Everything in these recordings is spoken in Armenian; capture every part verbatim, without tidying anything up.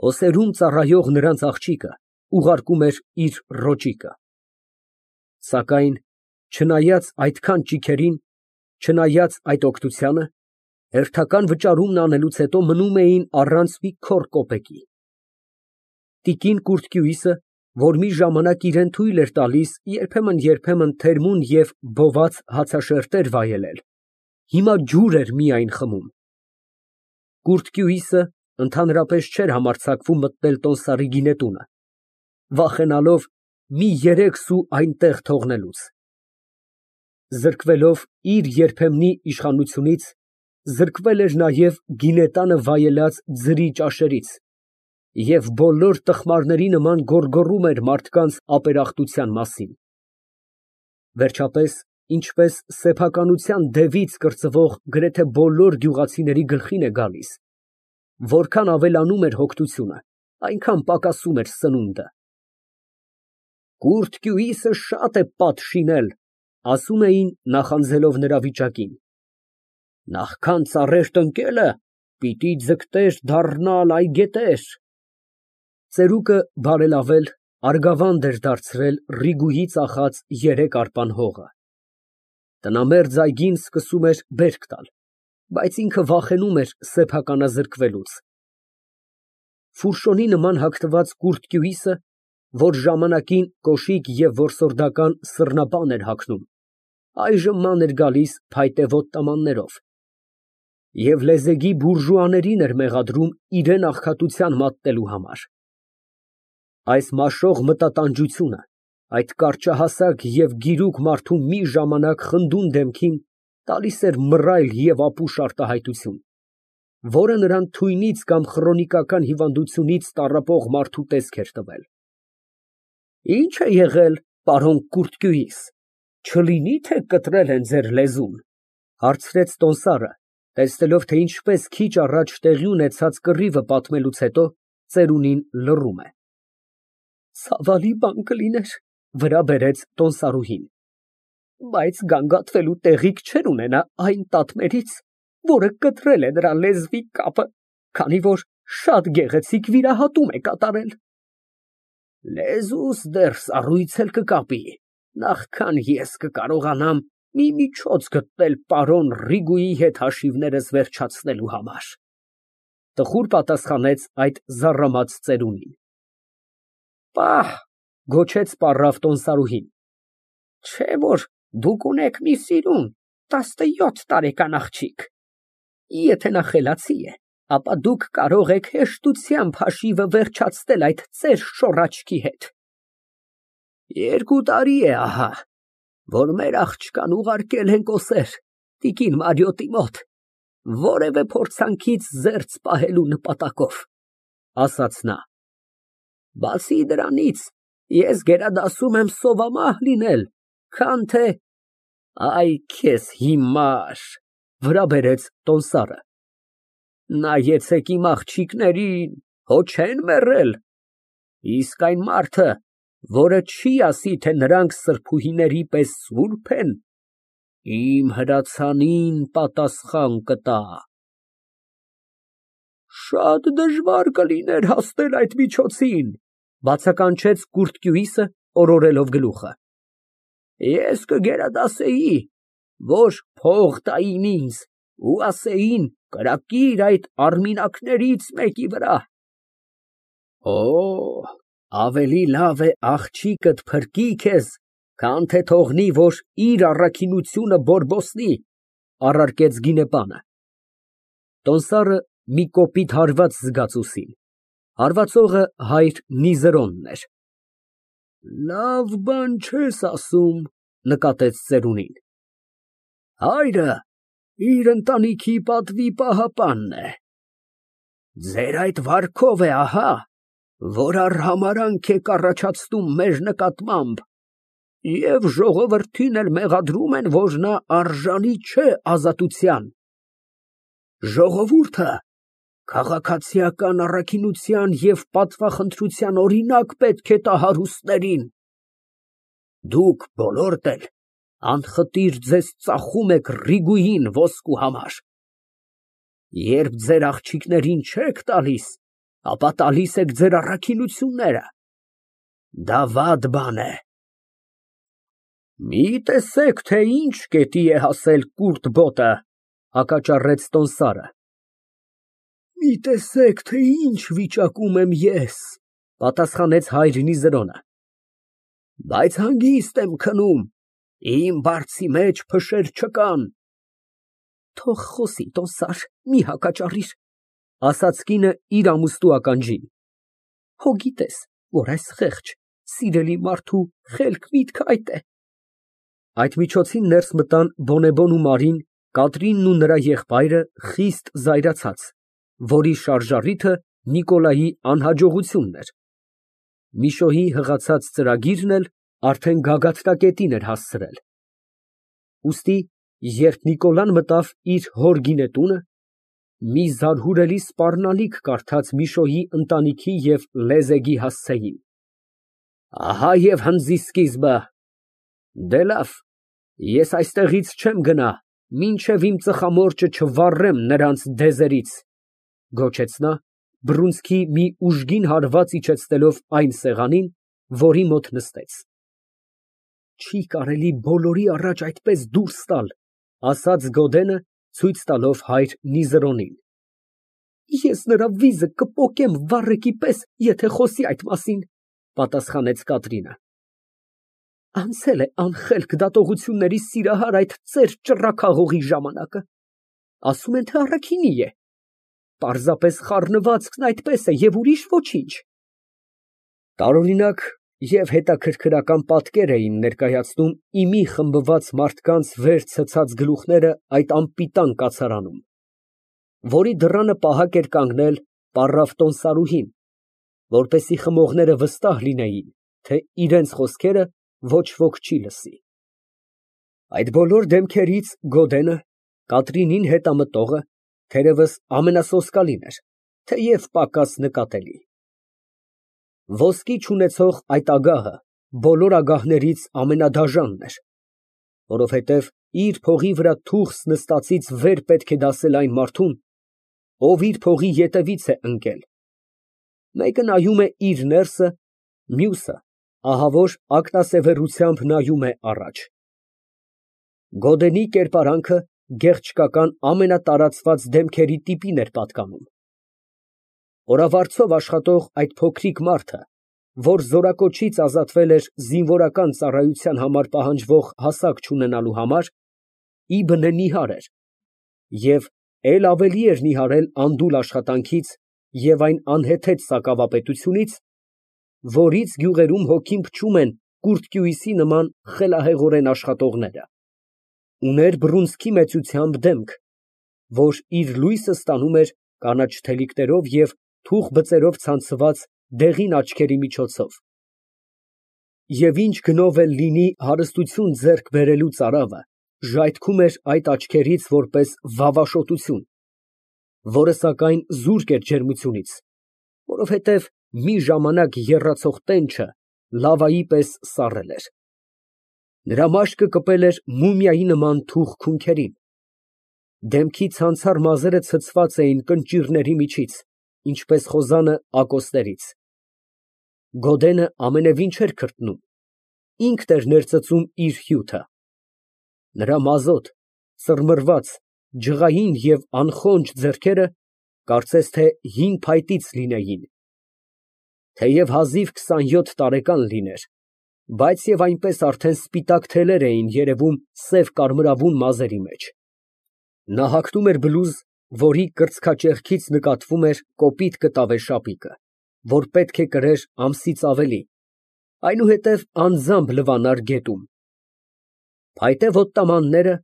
Օսերում ծառայող նրանց աղջիկը ուղարկում էր իր ռոճիկը։ Սակայն չնայած այդքան ճիգերին, չնայած այդ օգնությանը, հերթական վճարումն անելուց հետո մնում էին առանց մի քոռ կոպեկի։ Տիկին Կուրթկյուիսը, որ մի ժամանակ իրան թույլ էր տալիս երբեմն֊երբեմն թերմուն և բոված հացաշերտեր վայելել, հիմա ջուր էր միայն խմում։ Կուրթկյուիսը ընդհանրապես չէր համարձակվում մտնել տոմսարի գինետունը, վախենալով մի երեք սու այնտեղ թողնելուց։ Զրկվելով իր երբեմնի իշխանությունից, զրկվել էր նաև գինետանը վայելած ձրի ճաշերից և բոլոր տխմարների նման գոռգոռում էր մարդկանց ապերախտության մասին։ Վերջապես, ինչպես սեփականության դևից կրծվող գրեթե բոլոր գյուղացիների գլխին է գալիս, որքան ավելանում էր հոգնությունը, այնքան պակասում էր սնունդը։ Կուրթկյուիսը շատ է պատ շինել, ասում էին, նախանձելով նրա վիճակին։ Նախքան ծառեր տնկելը, պիտի ձգտեր դառնալ այգետեր։ Ծերուկը բարելավել, արգավանդ էր դարձրել Ռիգուհի ծախած երեք արպան հողը։ Տնամերձ այգին սկսում էր բերք տալ, բայց ինքը վախենում էր սեփականազրկվելուց։ Ֆուրշոնի նման հագնված Կուրթկյուիսը, որ ժամանակին կոշիկ և որսորդական սռնապան էր հագնում, այժմ ման էր գալիս փայտե ոտնամաններով և լեզեգի բուրժուաներին էր մեղադրում իրան աղքատության մատնելու համար։ Այս մաշող մտատանջությունը, այդ կարճահասակ և գիրուկ մարդու մի ժամանակ խնդուն դեմքին տալիս էր մռայլ և ապուշ արտահայտություն, որը նրան թույնից կամ խրոնիկական հիվանդությունից տառապող մարդու տեսք էր տվել։ Ի՞նչ է եղել, պարոն Կուրթկյուիս, չլինի թե կտրել են ձեր լեզուն, հարցրեց տոմսարը, տեսնելով, թե ինչպես քիչ առաջ տեղի ունեցած կռիվը պատմելուց հետո ծերունին լռում է։ Ցավալի բան կլիներ, վրա բերեց տոմսարուհին, բայց գանգատվելու տեղիք չէր ունենա այն տատմերից, որը կտրել է նրա լեզվի կապը, քանի որ շատ գեղեցիկ վիրահատում է կատարել։ Լեզուս դեռ սառույց էլ կկապի, նախքան ես կկարողանամ մի միջոց գտնել պարոն Ռիգուի հետ հաշիվներս վերջացնելու համար, տխուր պատասխանեց այդ զառամած ծերունին։ Պահ, գոչեց պառավ տոմսարուհին, չէ որ դուք ունեք մի սիրուն, տասնյոթ տարեկան աղջիկ, եթե նա խելացի է, ապա դուք կարող եք հեշտությամբ հաշիվը վերջացնել այդ ծեր շոր աչքի հետ։ Երկու տարի է ահա, որ մեր աղջկան ուղարկել ենք օսեր տիկին Մարիոտի մոտ, որևէ փորձանքից զերծ պահելու նպատակով, ասաց նա։ Բացի դրանից, ես գերադասում եմ սովամահ լինել, քան թե… Այ քեզ հիմար, վրա բերեց տոմսարը։ Նայեցեք իմ աղջիկներին, հո չեն մեռել, իսկ այն մարդը, որը չի ասի, թե նրանք սրբուհիների պես սուրբ են, իմ հրացանին պատասխան կտա։ Շատ դժվար կլիներ հասնել այդ միջոցին, բացականչեց Կուրթկյուիսը, օրորելով գլուխը։ Ես կգերադասեի, որ փող տային ինձ ու ասեին կրակիր այդ արմինակներից մեկի վրա։ Օ, ավելի լավ է աղջիկդ փրկի քեզ, քան թե թողնի, որ իր առաքինությունը բորբոսնի, առարկեց գինեպանը։ Տոմսարը մի կոպիտ հարված զգաց ուսին, հարվածողը հայր Նիզերոնն էր։ Լավ բան չես ասում, նկատեց ծերունին։ Հայրը իր ընտանիքի պատվի պահապանն է։ Ձեր այդ վարքով է ահա, որ արհամարհանք եք առաջացնում մեր նկատմամբ և ժողովրդին էլ մեղադրում են, որ նա արժանի չէ ազատության։ Ժողովուրդը քաղաքացիական առաքինության և պատվախնդրության օրինակ պետք է տա հարուստներին։ Դուք բոլորդ էլ անխտիր ձեզ ծախում եք Ռիգուին ոսկու համար։ Երբ ձեր աղջիկներին չեք տալիս, ապա տալիս եք ձեր առաքինությունները։ Դա վատ բան է։ Մի տեսեք, թե ինչ կետի է հասել կուրտ բոտը, հակաճառեց տոմսարը։ Մի տեսեք, թե ինչ վիճակում եմ ես, պատասխանեց հայր Նիզրոնը։ Բայց հանգիստ եմ քնում, իմ բարձի մեջ փշեր չկան։ Թող խոսի, տոմսար, մի հակաճառիր, ասաց կինը իր ամուսնու ականջին։ Հո գիտես, որ այս խեղճ, սիրելի մարդու խելք միտքը այդ է։ Այդ միջոցին ներս մտան Բոնեբոն ու Մարին, Կատրինն ու նրա եղբայրը խիստ զայրացած, որի շարժառիթը Նիկոլայի անհաջողությունն էր։ Միշոյի հղացած ծրագիրն էլ արդեն գագաթնակետին էր հասցրել։ Ուստի, երբ Նիկոլան մտավ իր հոր գինետունը, մի զարհուրելի սպառնալիք կարդաց Միշոյի ընտանիքի և Լեզեգի հասցեին։ Ահա և հնձի սկիզբը։ Դե լավ, ես այստեղից չեմ գնա, մինչև իմ ծխամորճը չվառեմ նրանց դեզերից, գոչեց նա, բռունցքի մի ուժգին հարված իջեցնելով այն սեղանին, որի մոտ նստեց։ Չի կարելի բոլորի առաջ այդպես դուրս տալ, ասաց Գոդենը, ցույց տալով հայր Նիզրոնին։ Ես նրա վիզը կպոկեմ վառեկի պես, եթե խոսի այդ մասին, պատասխանեց Կատրինը։ Անցել է անխելք դատողությունների սիրահար այդ ծեր ճռռաքաղողի ժամանակը։ Ասում են, թե առաքինի է։ Պարզապես խառնվածքն այդպես է և ուրիշ ոչինչ։ Տարօրինակ և հետաքրքրական պատկեր էին ներկայացնում իմի խմբված մարդկանց վեր ցցած գլուխները այդ անպիտան կացարանում, որի դռանը պահակ էր կանգնել պառավ տոմսարուհին, որպեսզի խմողները վստահ լինեին, թե իրենց խոսքերը ոչ ոք չի լսի։ Այդ բոլոր դեմքերից Գոդենը, Կատրինին հետամտողը, թերևս ամենասոսկալին էր, թեև պակաս նկատելի։ Ոսկի չունեցող այդ ագահը բոլոր ագահներից ամենադաժանն էր, որովհետև իր փողի վրա թուղթ նստածից վեր պետք է դասել այն մարդուն, ով իր փողի ետևից է ընկել։ Մեկը նայում է իր ներսը, մյուսը ահավոր ակնասևեռությամբ նայում է առաջ։ Գոդենի կերպարանքը գեղչկական ամենատարածված դեմքերի տիպին էր պատկանում։ Օրավարձով աշխատող այդ փոքրիկ մարդը, որ զորակոչից ազատվել էր զինվորական ծառայության համար պահանջվող հասակ չունենալու համար, ի բնե նիհար էր, և էլ ավելի էր նիհարել անդուլ աշխատանքից և այն անհեթեթ սակավապետությունից, որից գյուղերում հոգին փչում են կուրծքյուիսի նման խելահեղորեն աշխատողները, ուներ բռունցքի մեծությամբ դեմք, որ իր լույսը ստանում էր կանաչ թելիկներով և թուխ բծերով ցանցված դեղին աչքերի միջոցով։ Եվ ինչ գնով էլ լինի հարստություն ձեռք բերելու ծարավը, ժայթքում էր այդ աչքերից որպես վավաշոտություն, որը սակայն զուրկ էր ջերմությունից, որովհետև մի ժամանակ եռացող տենչը լավայի պես սառել էր։ Նրա մաշկը կպել էր մումիայի նման թուխ քունքերին։ Դեմքի ցանցառ մազերը ցցված էին կնճիռների միջից, ինչպես խոզանը ակոսներից։ Գոդենը ամենևին չէր քրտնում, ինքն էր ներծծում իր հյութը։ Նրա մազոտ, ծռմռված, ջղային և անխոնջ ձեռքերը կարծես թե հին փայտից լինեին։ Թեև հազիվ քսանյոթ տարեկան լիներ, բայց և այնպես արդեն սպիտակ թելեր էին երևում սև կարմրավուն մազերի մեջ։ Նա հագնում էր բլուզ, որի կրծքաճեղքից նկատվում էր կոպիտ կտավե շապիկը, որ պետք է կրեր ամսից ավելի, այնուհետև անձամբ լվանար գետում։ Փայտե ոտնամանները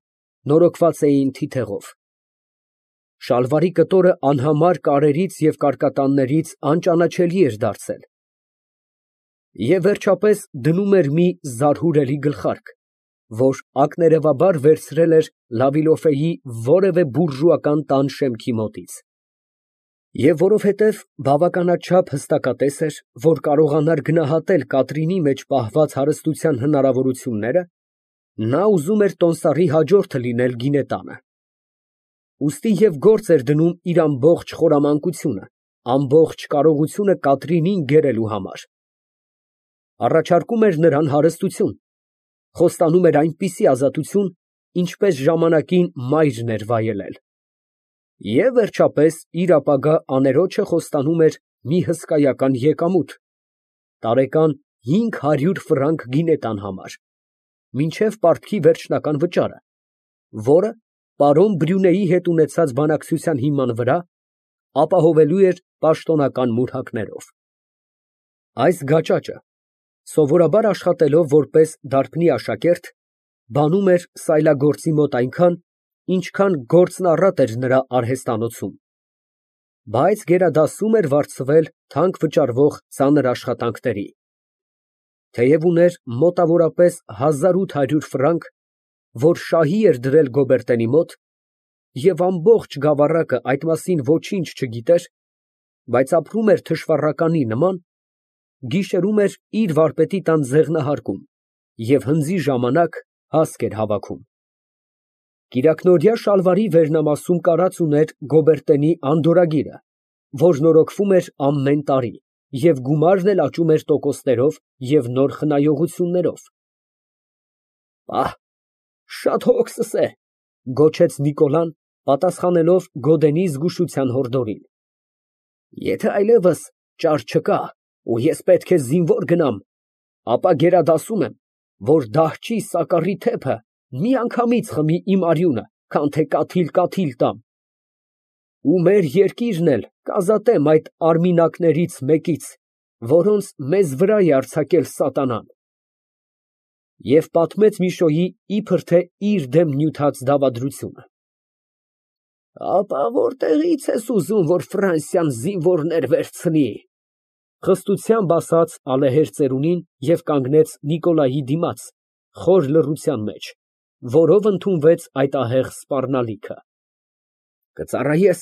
նորոգված էին թիթեղով։ Շալվարի կտորը անհամար կարերից և կարկատաններից անճանաչելի էր դարձել։ Եվ վերջապես դնում էր մի զարհուրելի գլխարկ, որ ակներևաբար վերցրել էր Լավիլոֆեի որևէ բուրժուական տան շեմքի մոտից։ Եվ որովհետև բավականաչափ հստակատես էր, որ կարողանար գնահատել Կատրինի մեջ պահված հարստության հնարավորությունները, նա ուզում էր տոմսարի հաջորդը լինել գինետանը։ Ուստի և գործ էր դնում իր ամբողջ խորամանկությունը, ամբողջ կարողությունը Կատրինին գերելու համար։ Առաջարկում էր նրան հարստություն, խոստանում էր այնպիսի ազատություն, ինչպես ժամանակին մայրն էր վայելել, և վերջապես իր ապագա աներոջը խոստանում էր մի հսկայական եկամուտ, տարեկան հինգ հարյուր ֆրանկ գինետան համար, մինչև պարտքի վերջնական վճարը, որը պարոն Բրիունեի հետ ունեցած բանակցության հիման վրա ապահովելու էր պաշտոնական մուրհակներով։ Այս գաճաճը, սովորաբար աշխատելով որպես դարբնի աշակերտ, բանում էր սայլագործի մոտ այնքան, ինչքան գործն առատ էր նրա արհեստանոցում, բայց գերադասում էր վարձվել թանկ վճարվող ծանր աշխատանքների, թեև ուներ մոտավորապես հազար ութ հարյուր ֆրանկ, որ շահի էր դրել Գոբերտենի մոտ, և ամբողջ գավառակը այդ մասին ոչինչ չգիտեր, բայց ապրում էր թշվառականի նման, գիշերում էր իր վարպետի տան ձեղնահարկում և հնձի ժամանակ հասկ էր հավաքում։ Կիրակնօրյա շալվարի վերնամասում կարած ուներ Գոբերտենի անդորրագիրը, որն օրոքվում էր ամեն տարի և գումարն էլ աճում էր տոկոսներով և նոր խնայողություններով։ «Պահ, շատ հոգսս է», ֊ գոչեց Նիկոլան, պատասխանելով Գոդենի զգուշության հորդորին։ «Եթե այլևս ճար չկա, ու ես պետք է զինվոր գնամ, ապա գերադասում եմ, որ դահչի Սակարի թեփը միանգամից խմի իմ արյունը, քան թե կաթիլ֊կաթիլ տամ, ու մեր երկիրն էլ կազատեմ այդ արմինակներից մեկից, որոնց մեզ վրա է արձակել սատանան»։ Եվ պատմեց Միշոյի իբր թե իր դեմ նյութած դավադրությունը։ «Ապա որտեղի՞ց ես ուզում, որ Ֆրանսիան զինվորներ վերցնի», ֊ խստությամբ ասաց ալեհեր ծերունին և կանգնեց Նիկոլայի դիմաց, խոր լռության մեջ, որով ընդունվեց այդ ահեղ սպառնալիքը։ «Կծառայես,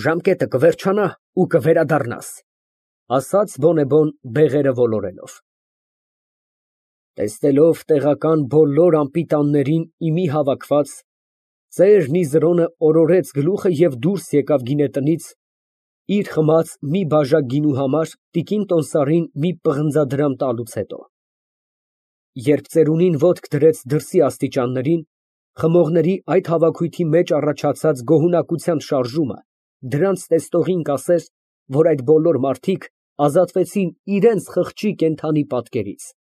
ժամկետը կվերջանա ու կվերադառնաս», ֊ ասաց բոնեբոն բեղերը ոլորելով։ Տեսնելով տեղական բոլոր անպիտաններին ի մի հավաքված, ծեր Նիզրոնը օրորեց գլուխը և դուրս եկավ գինետնից, իր խմած մի բաժակ գինու համար տիկին Տոնսարին մի պղնձադրամ տալուց հետո։ Երբ ծերունին ոտք դրեց դրսի աստիճաններին, խմողների այդ հավաքույթի մեջ առաջացած գոհունակության շարժումը դրանց տեսնողին կասեր, որ այդ բոլոր մարդիկ ազատվեցին իրենց խղճի կենդանի պատկերից։